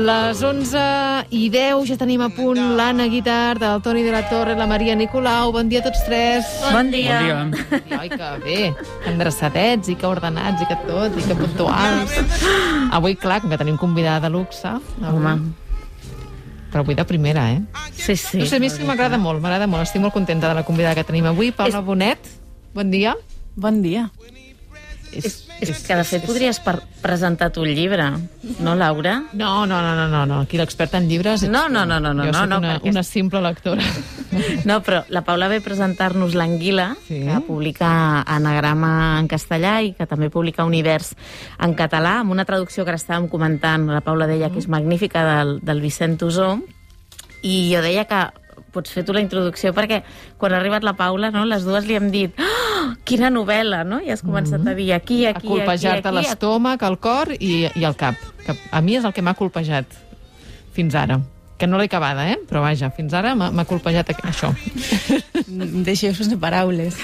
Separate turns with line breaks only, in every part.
Les 11:10, ja tenim a punt l'Anna Guitart, el Toni de la Torre, la Maria Nicolau. Bon dia a tots tres.
Bon dia.
Ai, que bé, que endreçadets i que ordenats i que tot, i que puntuals. Avui, clar, com que tenim convidada de luxe.
Home.
Però avui de primera, eh?
Sí, sí.
No sé, a mi és que m'agrada molt. Estic molt contenta de la convidada que tenim avui. Paula Bonet, bon dia.
Bon dia.
És que, de fet, podries presentar tu el llibre, no, Laura?
No. Aquí l'experta en llibres...
No.
Jo soc una simple lectora.
No, però la Paula ve a presentar-nos l'Anguila, que publica Anagrama en castellà i que també publica Univers en català, amb una traducció que ara estàvem comentant. La Paula deia que és magnífica, del Vicent Tosó, i jo deia que pots fer tu la introducció, perquè quan ha arribat la Paula, no, les dues li hem dit quina novel·la, no? I has començat a dir aquí...
A colpejar-te l'estómac, el cor i el cap. Que a mi és el que m'ha colpejat fins ara. Que no l'he acabada, però vaja, fins ara m'ha colpejat això.
Deixeu-vos de paraules.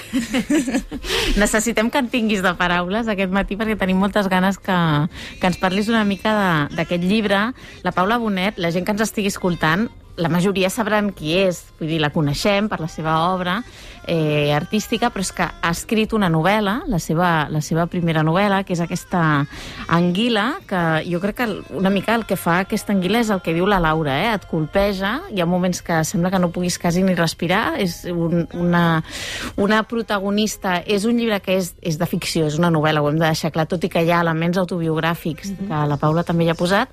Necessitem que en tinguis de paraules aquest matí, perquè tenim moltes ganes que ens parlis una mica d'aquest llibre. La Paula Bonet, la gent que ens estigui escoltant, la majoria sabran qui és, vull dir, la coneixem per la seva obra artística, però és que ha escrit una novel·la, la seva primera novel·la, que és aquesta Anguila, que jo crec que una mica el que fa aquesta Anguila és el que diu la Laura, et colpeja, hi ha moments que sembla que no puguis quasi ni respirar, és una protagonista, és un llibre que és de ficció, és una novel·la, ho hem de deixar clar, tot i que hi ha elements autobiogràfics que la Paula també hi ha posat,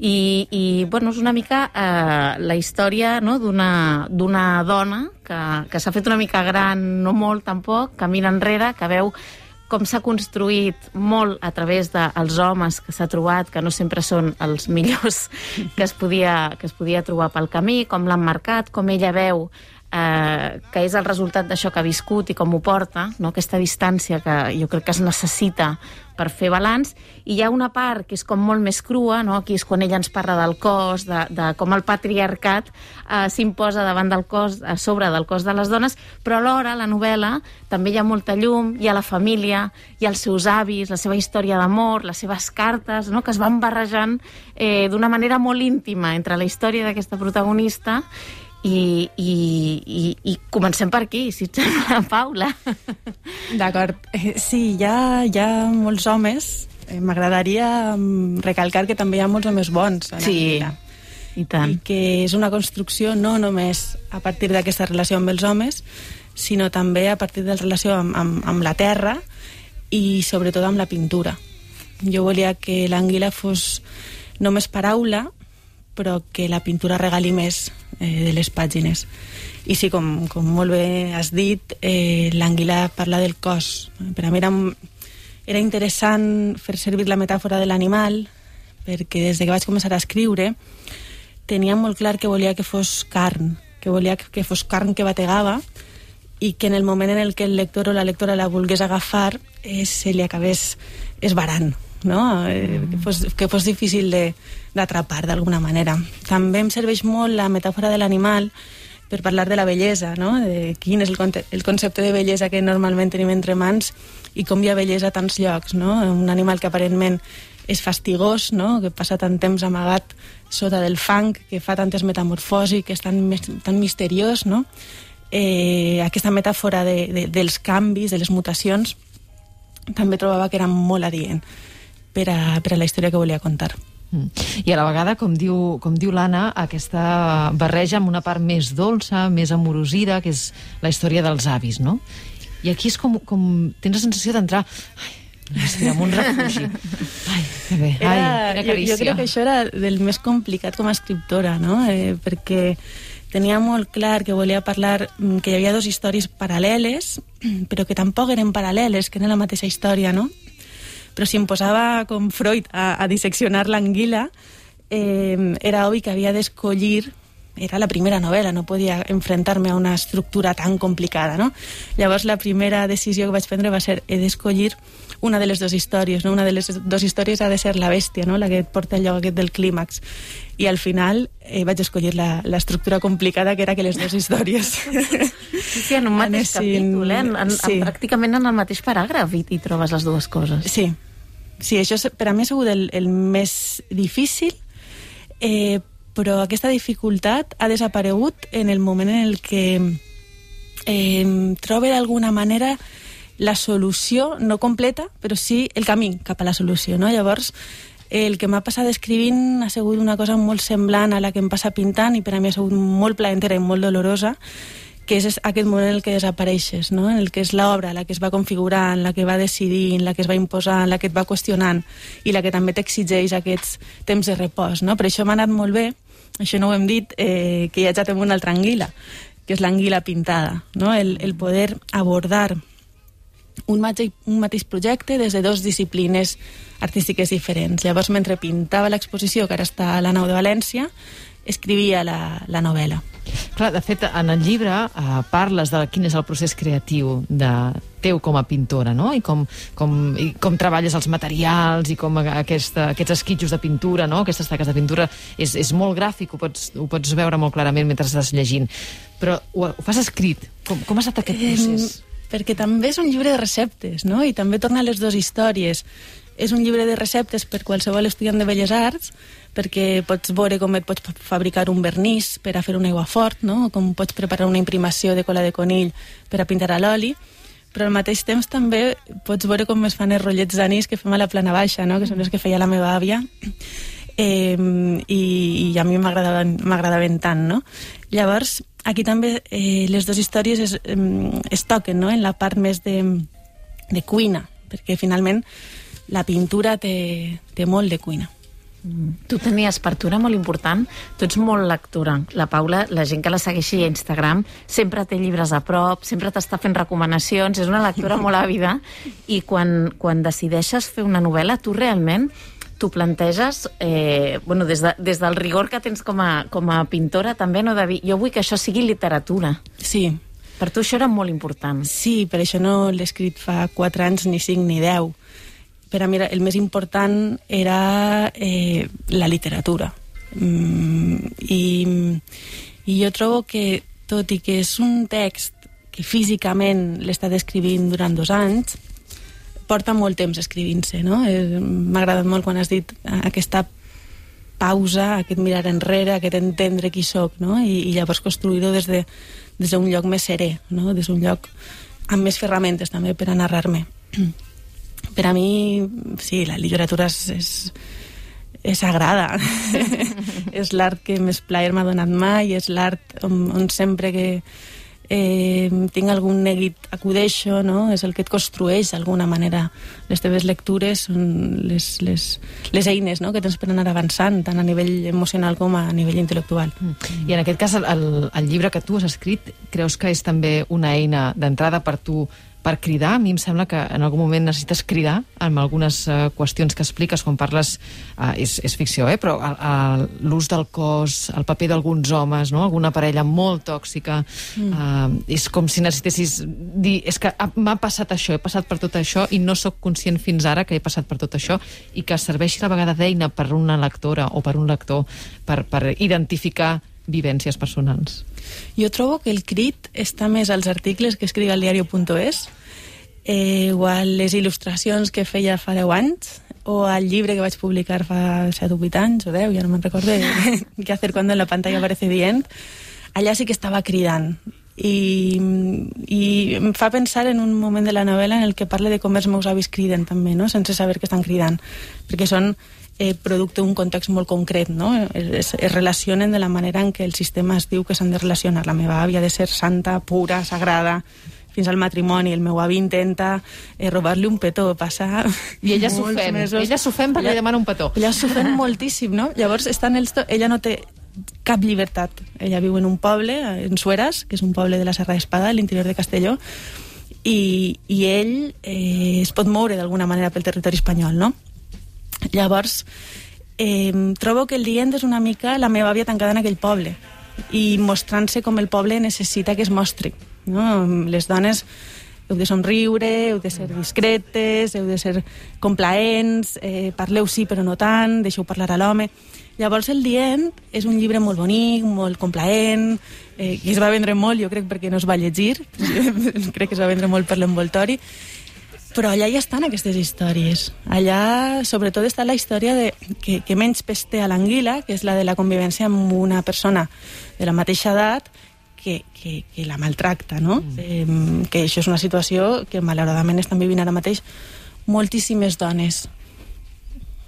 i bueno, és una mica la història, no, d'una dona que s'ha fet una mica gran, no molt tampoc, camina enrere, que veu com s'ha construït molt a través dels homes que s'ha trobat, que no sempre són els millors que es podia trobar pel camí, com l'han marcat, com ella veu que és el resultat d'això que ha viscut i com ho porta, no? Aquesta distància que jo crec que es necessita per fer balanç, i hi ha una part que és com molt més crua, no? Aquí és quan ella ens parla del cos, de com el patriarcat s'imposa davant del cos, a sobre del cos de les dones, però alhora la novel·la també hi ha molta llum, hi ha la família, hi ha els seus avis, la seva història d'amor, les seves cartes, no? Que es van barrejant d'una manera molt íntima entre la història d'aquesta protagonista i comencem per aquí, si et sembla, Paula.
D'acord. Sí, hi ha molts homes. M'agradaria recalcar que també hi ha molts homes bons.
Sí, i tant.
I que és una construcció no només a partir d'aquesta relació amb els homes, sinó també a partir de la relació amb la terra i sobretot amb la pintura. Jo volia que l'Anguila fos només paraula, però que la pintura regali més de les pàgines. I sí, com molt bé has dit, l'Anguila parla del cos. Per a mi era interessant fer servir la metàfora de l'animal, perquè des que vaig començar a escriure tenia molt clar que volia que fos carn, que volia que fos carn que bategava, i que en el moment en el que el lector o la lectora la volgués agafar se li acabés esbarant, no? Que fos difícil d'atrapar d'alguna manera. També em serveix molt la metàfora de l'animal per parlar de la bellesa, no? De quin és el concepte de bellesa que normalment tenim entre mans i com hi ha bellesa a tants llocs, no? Un animal que aparentment és fastigós, no? Que passa tant temps amagat sota del fang, que fa tantes metamorfosis, que és tan misteriós, no? Aquesta metàfora dels canvis, de les mutacions, també trobava que era molt adient per a la història que volia contar.
I a la vegada, com diu l'Anna, aquesta barreja amb una part més dolça, més amorosida, que és la història dels avis, no? I aquí és com tens la sensació d'entrar en un refugi. Ai, que bé, quina carícia.
Jo crec que això era del més complicat com a escriptora, no? Perquè tenia molt clar que volia parlar que hi havia dues històries paral·leles, però que tampoc eren paral·leles, que eren la mateixa història, no? Però si em posava com Freud a disseccionar l'Anguila, era obvi que havia d'escollir, era la primera novel·la, no podia enfrontar-me a una estructura tan complicada, no? Llavors la primera decisió que vaig prendre va ser he d'escollir una de les dues històries, no? Una de les dues històries ha de ser la bèstia, no? La que et porta el lloc aquest del clímax. I al final vaig escollir l'estructura complicada, que era que les dues històries
sí, en un mateix capítol, pràcticament en el mateix paràgraf i trobes les dues coses.
Sí, això per a mi ha sigut el més difícil, però aquesta dificultat ha desaparegut en el moment en el que trobe d'alguna manera la solució, no completa, però sí el camí cap a la solució, no? Llavors, el que m'ha passat escrivint ha sigut una cosa molt semblant a la que em passa pintant, i per a mi ha sigut molt placentera i molt dolorosa, que és aquest moment en el que desapareixes, no? En el que és l'obra, la que es va configurant, la que va decidint, la que es va imposant, la que et va qüestionant, i la que també t'exigeix aquests temps de repòs, no? Per això m'ha anat molt bé, això no ho hem dit, que ja tenim una altra anguila, que és l'anguila pintada, no? El poder abordar un mateix projecte des de dues disciplines artístiques diferents. Llavors, mentre pintava l'exposició, que ara està a la Nau de València, escrivia la novel·la.
Clar, de fet, en el llibre parles de quin és el procés creatiu teu com a pintora, no? I com treballes els materials i com aquests esquitxos de pintura, no? Aquestes taques de pintura, és molt gràfic, ho pots veure molt clarament mentre estàs llegint. Però ho fas escrit. Com ha estat aquest procés?
Perquè també és un llibre de receptes, no? I també torna a les dues històries. És un llibre de receptes per qualsevol estudiant de Belles Arts, perquè pots veure com et pots fabricar un vernís per a fer un aiguafort, no? O com pots preparar una imprimació de cola de conill per a pintar a l'oli, però al mateix temps també pots veure com es fan els rotllets d'anís que fem a la plana baixa, no? Que són els que feia la meva àvia, i a mi m'agradaven tant, no? Llavors, aquí també les dues històries es toquen, no? En la part més de cuina, perquè finalment la pintura té molt de cuina.
Tu tenies per tu era molt important, tu ets molt lectora. La Paula, la gent que la segueixi a Instagram, sempre té llibres a prop, sempre t'està fent recomanacions, és una lectora molt àvida, i quan decideixes fer una novel·la, tu realment t'ho planteges, des del rigor que tens com a pintora, també no de dir, jo vull que això sigui literatura.
Sí.
Per tu això era molt important.
Sí, per això no l'he escrit fa 4 anys, ni 5, ni 10. Per a mi el més important era la literatura. I jo trobo que, tot i que és un text que físicament l'he estat escrivint durant 2 anys, porta molt temps escrivint-se, no? M'ha agradat molt quan has dit aquesta pausa, aquest mirar enrere, aquest entendre qui soc, no? I llavors construir-ho des d'un lloc més serè, no? Des d'un lloc amb més ferramentes també per a narrar-me. Per a mi, sí, la literatura és sagrada. És l'art que més plaer m'ha donat mai, és l'art on sempre que tinc algun neguit acudeixo, no? És el que et construeix d'alguna manera. Les teves lectures són les eines, no? Que tens per anar avançant, tant a nivell emocional com a nivell intel·lectual.
I en aquest cas, el llibre que tu has escrit, creus que és també una eina d'entrada per tu per cridar? A mi em sembla que en algun moment necessites cridar amb algunes qüestions que expliques quan parles, és ficció, però l'ús del cos, el paper d'alguns homes, no? Alguna parella molt tòxica, és com si necessitessis dir, és que m'ha passat això, he passat per tot això i no sóc conscient fins ara que he passat per tot això, i que serveixi a la vegada d'eina per una lectora o per un lector per identificar vivències personals.
Jo trobo que el crit està més als articles que escric al diario.es, o a les il·lustracions que feia fa 10 anys, o al llibre que vaig publicar fa 7 o 8 anys, o 10, ja no me'n recordo, què hacer cuando en la pantalla aparece dient. Allà sí que estava cridant. I em fa pensar en un moment de la novel·la en el que parla de com els meus avis criden també, no? Sense saber que estan cridant, perquè són producte d'un context molt concret, no? Es relacionen de la manera en què el sistema es diu que s'han de relacionar. La meva àvia ha de ser santa, pura, sagrada, fins al matrimoni. El meu avi intenta robar-li un petó, passar...
I ella s'ofèn. Ella s'ofèn perquè li demana un petó.
Ella s'ofèn moltíssim, no? Llavors, ella no té cap llibertat. Ella viu en un poble, en Sueras, que és un poble de la Serra d'Espada, a l'interior de Castelló, i ell es pot moure d'alguna manera pel territori espanyol, no? Llavors, trobo que el dient és una mica la meva àvia tancada en aquell poble i mostrant-se com el poble necessita que es mostri, no? Les dones heu de somriure, heu de ser discretes, heu de ser complaents, parleu sí però no tant, deixeu parlar a l'home. Llavors el dient és un llibre molt bonic, molt complaent, que es va vendre molt, jo crec, perquè no es va llegir, crec que es va vendre molt per l'envoltori, Però allà ja estan aquestes històries. Allà, sobretot, està la història que menys pes té a l'anguila, que és la de la convivència amb una persona de la mateixa edat que la maltracta, no? Que això és una situació que, malauradament, estan vivint ara mateix moltíssimes dones.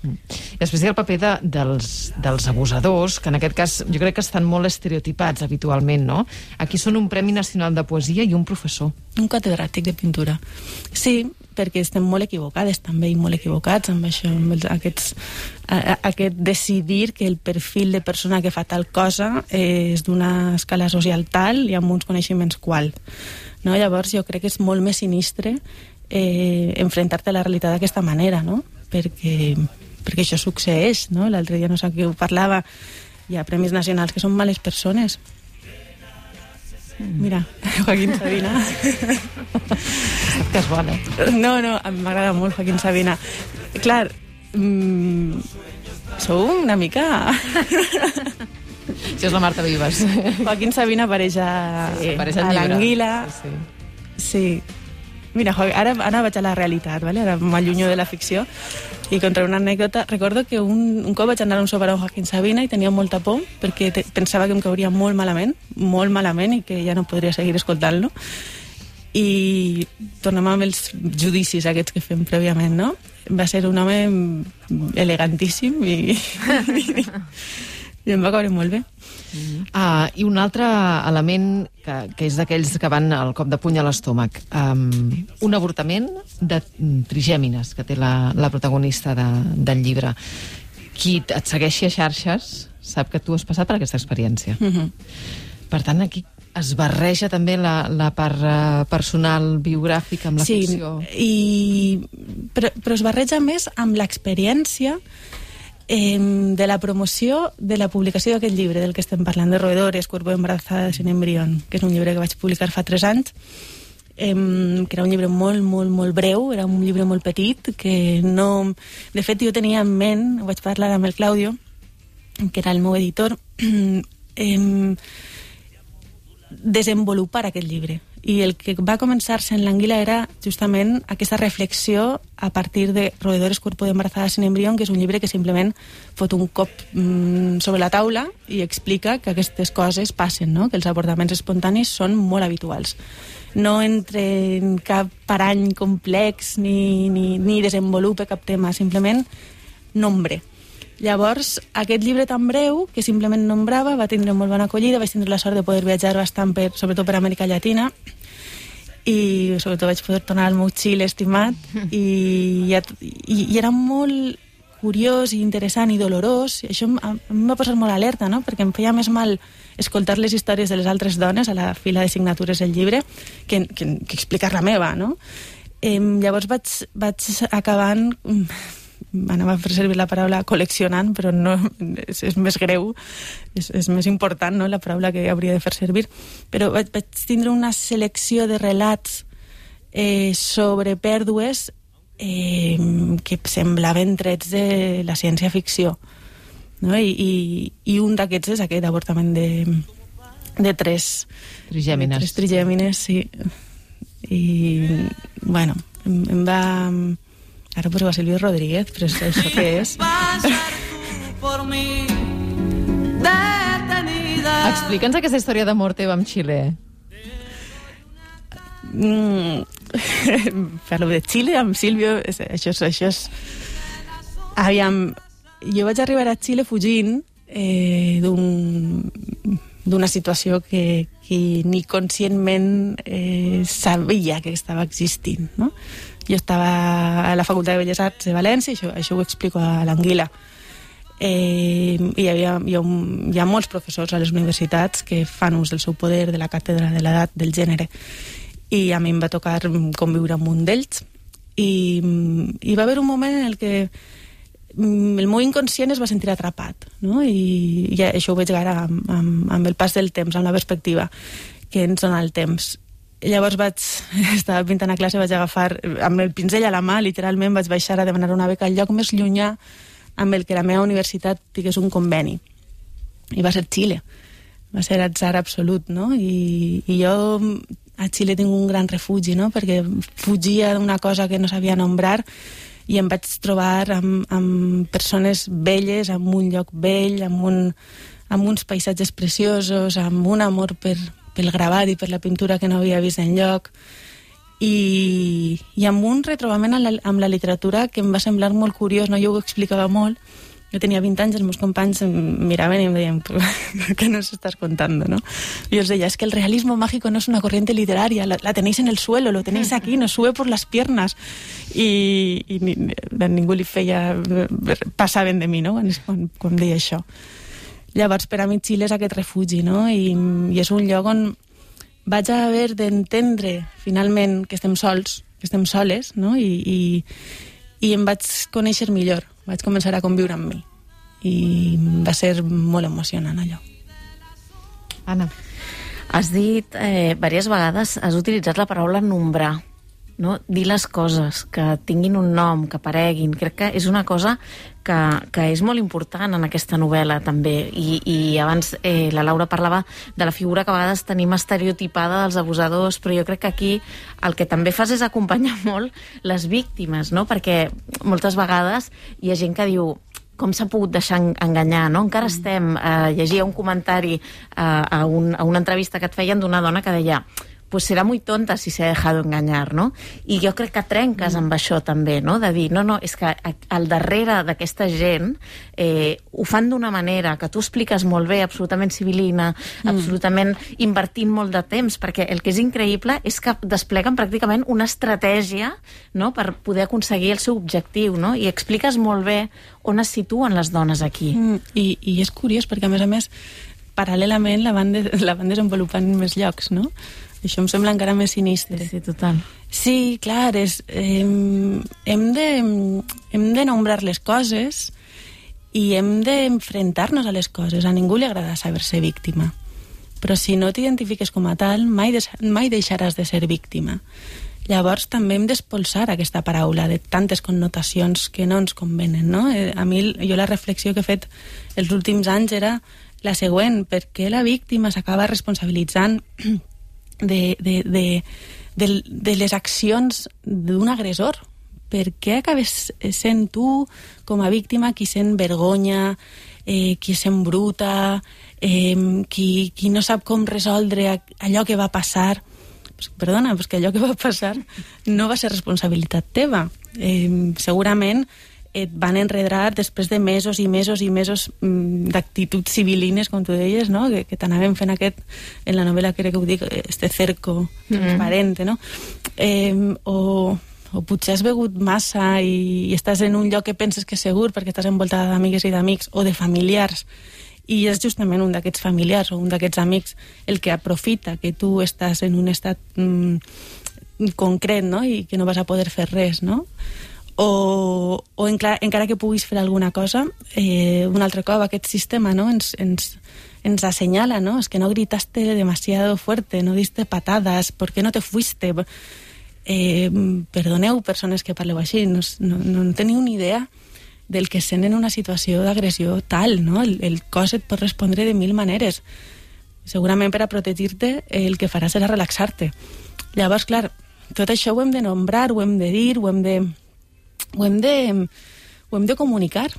I després hi ha el paper dels abusadors, que en aquest cas jo crec que estan molt estereotipats habitualment, no? Aquí són un Premi Nacional de Poesia i un professor.
Un catedràtic de pintura. Sí, perquè estem molt equivocades també i molt equivocats amb això, amb aquest decidir que el perfil de persona que fa tal cosa és d'una escala social tal i amb uns coneixements qual. No? Llavors jo crec que és molt més sinistre enfrontar-te a la realitat d'aquesta manera, no? Perquè això succeeix, no? L'altre dia no sé qui ho parlava, hi ha premis nacionals que són males persones. Mira, Joaquín Sabina.
Que és bona.
No, m'agrada molt Joaquín Sabina. Clar, sou una mica...
Això és la Marta Vives.
Joaquín Sabina apareix a l'anguila. Sí. Mira, ara vaig a la realitat, ¿vale? Ara m'allunyo de la ficció i contra una anècdota. Recordo que un cop vaig anar a un sopar amb Joaquín Sabina i tenia molta por perquè pensava que em cauria molt malament i que ja no podria seguir escoltant-lo. I tornem amb els judicis aquests que fem prèviament, no? Va ser un home elegantíssim i em va caure molt bé.
I un altre element que és d'aquells que van al cop de puny a l'estómac. Un avortament de trigèmines, que té la protagonista del llibre. Qui et segueixi a xarxes sap que tu has passat per aquesta experiència. Per tant, aquí es barreja també la part personal, biogràfica, amb la ficció.
Però es barreja més amb l'experiència de la promoció de la publicació d'aquest llibre del que estem parlant, de Roedores, Cuerpo embarazada sin embrión, que és un llibre que vaig publicar fa 3 anys, que era un llibre molt, molt, molt breu, era un llibre molt petit, que no... De fet, jo tenia en ment, vaig parlar amb el Claudio, que era el meu editor, desenvolupar aquest llibre. I el que va començar-se en l'anguila era justament aquesta reflexió a partir de Roedores, Cuerpo embarazada sin embrión, que és un llibre que simplement fot un cop sobre la taula i explica que aquestes coses passen, no? Que els avortaments espontanis són molt habituals. No entra en cap parany complex ni desenvolupa cap tema, simplement nombre. Llavors, aquest llibre tan breu, que simplement nombrava, va tindre molt bona acollida, vaig tindre la sort de poder viatjar bastant, sobretot per Amèrica Llatina, i sobretot vaig poder tornar al meu Xile estimat, i era molt curiós i interessant i dolorós, i això a mi m'ha posat molt alerta, no? Perquè em feia més mal escoltar les històries de les altres dones a la fila de signatures del llibre que explicar la meva, no? Llavors vaig acabant... anava a fer servir la paraula col·leccionant, però no, és més greu, és més important, no?, la paraula que hauria de fer servir, però vaig tindre una selecció de relats sobre pèrdues que semblaven trets de la ciència-ficció, no? I un d'aquests és aquest avortament de 3
trigèmines.
3 trigèmines, sí. I, bueno, em va... Ara poso a Silvio Rodríguez, però això què és?
Explica'ns aquesta història d'amor teva amb Xile.
Parlo de Xile amb Silvio, això és... Aviam, jo vaig arribar a Xile fugint d'una situació que ni conscientment sabia que estava existint, no? Jo estava a la Facultat de Belles Arts de València, això ho explico a l'anguila. I hi ha molts professors a les universitats que fan ús del seu poder, de la càtedra, de l'edat, del gènere. I a mi em va tocar conviure amb un d'ells. I va haver un moment en el que el meu inconscient es va sentir atrapat, no? I això ho veig ara amb el pas del temps, amb la perspectiva que ens dona el temps. Llavors estava pintant a classe, vaig agafar amb el pinzell a la mà, literalment vaig baixar a demanar una beca al lloc més llunyà amb el que la meva universitat tingués un conveni. I va ser Xile. Va ser atzar absolut, no? I jo a Xile tinc un gran refugi, no? Perquè fugia d'una cosa que no sabia nombrar i em vaig trobar amb persones belles, amb un lloc vell, amb uns paisatges preciosos, amb un amor pel gravat i per la pintura que no havia vist enlloc, i amb un retrobament amb la literatura que em va semblar molt curiós, no? Jo ho explicava molt. Jo tenia 20 anys, els meus companys em miraven i em deien, ¿qué nos estás contando, no? Y yo os decía, es que el realismo mágico no es una corriente literaria, la tenéis en el suelo, lo tenéis aquí, nos sube por las piernas. I ningú li feia... passaven de mi, no?, quan deia això. Llavors, per a mi, Xile és aquest refugi, no? I és un lloc on vaig haver d'entendre, finalment, que estem sols, que estem soles, no? I em vaig conèixer millor. Vaig començar a conviure amb mi i va ser molt emocionant allò.
Anna.
Has dit diverses vegades, has utilitzat la paraula nombrar, no? Dir les coses, que tinguin un nom, que apareguin. Crec que és una cosa que és molt important en aquesta novel·la també, i abans la Laura parlava de la figura que a vegades tenim estereotipada dels abusadors, però jo crec que aquí el que també fas és acompanyar molt les víctimes, no? Perquè moltes vegades hi ha gent que diu com s'ha pogut deixar enganyar, no? Encara estem, llegia un comentari a una entrevista que et feien d'una dona que deia pues será muy tonta si se ha dejado engañar, no? I jo crec que trenques amb això també, no? De dir, no, és que al darrere d'aquesta gent ho fan d'una manera que tu expliques molt bé, absolutament civilina, absolutament invertint molt de temps, perquè el que és increïble és que despleguen pràcticament una estratègia, no?, per poder aconseguir el seu objectiu, no? I expliques molt bé on es situen les dones aquí.
I és curiós, perquè a més, paral·lelament la van desenvolupant en més llocs, no? Això em sembla encara més sinistre.
Sí, total.
Sí, clar, hem de nombrar les coses i hem d'enfrontar-nos a les coses. A ningú li agrada saber-se víctima. Però si no t'identifiques com a tal, mai deixaràs de ser víctima. Llavors també hem d'expulsar aquesta paraula de tantes connotacions que no ens convenen, no? A mi, jo la reflexió que he fet els últims anys era la següent: per què la víctima s'acaba responsabilitzant de les accions d'un agressor? Per què acabes sent tu, com a víctima, qui sent vergonya, qui sent bruta, qui no sap com resoldre allò que va passar? Perdona, que allò que va passar no va ser responsabilitat teva. Segurament et van enredar després de mesos i mesos i mesos d'actituds civilines, com tu deies, no? Que t'anàvem fent en la novel·la, crec que ho dic, este cerco transparente, no? O potser has begut massa i estàs en un lloc que penses que és segur perquè estàs envoltada d'amigues i d'amics o de familiars, i és justament un d'aquests familiars o un d'aquests amics el que aprofita que tu estàs en un estat concret, no? I que no vas a poder fer res, no? O encara que puguis fer alguna cosa, un altre cop aquest sistema, no? ens assenyala, ¿no? Es que no gritaste demasiado fuerte, no diste patadas, ¿por qué no te fuiste? Perdoneu, persones que parleu així, no teniu ni idea del que sent en una situació d'agressió tal, no? El cos et pot respondre de 1000 maneres. Segurament per a protegir-te el que farà serà relaxar-te. Llavors, clar, tot això ho hem de nombrar, ho hem de dir, ho hem de comunicar,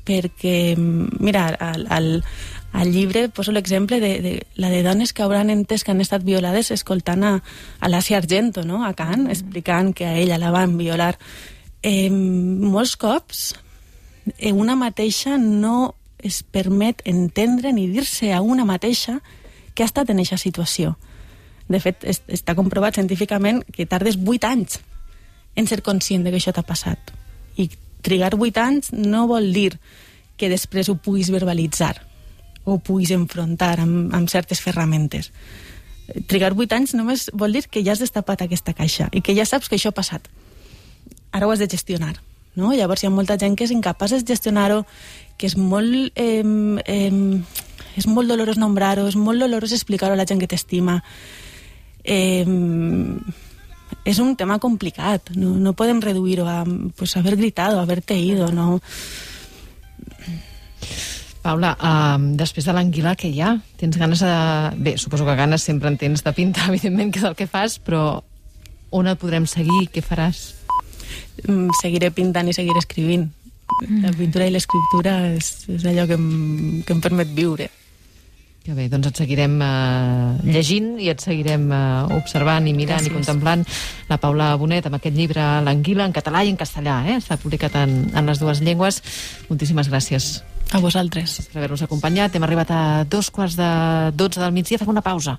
perquè, mira, al llibre poso l'exemple de la de dones que hauran entès que han estat violades escoltant a l'Asia Argento, no? A Can, explicant que a ella la van violar. Molts cops una mateixa no es permet entendre ni dir-se a una mateixa que ha estat en aquesta situació. De fet, està comprovat científicament que tardes 8 anys en ser conscient de que això t'ha passat. I trigar 8 anys no vol dir que després ho puguis verbalitzar o puguis enfrontar amb certes ferramentes. Trigar 8 anys només vol dir que ja has destapat aquesta caixa i que ja saps que això ha passat. Ara ho has de gestionar, no? Llavors hi ha molta gent que és incapaç de gestionar-ho, que és molt dolorós nombrar-ho, és molt dolorós explicar-ho a la gent que t'estima. És un tema complicat, no podem reduir-ho a haber gritado, haberte ido, no.
Paula, després de l'anguila, què hi ha? Tens ganes de... Bé, suposo que ganes sempre en tens de pintar, evidentment, que és el que fas, però on et podrem seguir? Què faràs?
Seguiré pintant i seguiré escrivint. La pintura i l'escriptura és allò que em permet viure.
Que bé, doncs et seguirem llegint i et seguirem observant i mirant. Gràcies. I contemplant la Paula Bonet amb aquest llibre L'anguila, en català i en castellà. Està publicat en les dues llengües. Moltíssimes gràcies.
A vosaltres.
Per haver-nos acompanyat. Hem arribat a 2:15 del migdia. Fem una pausa.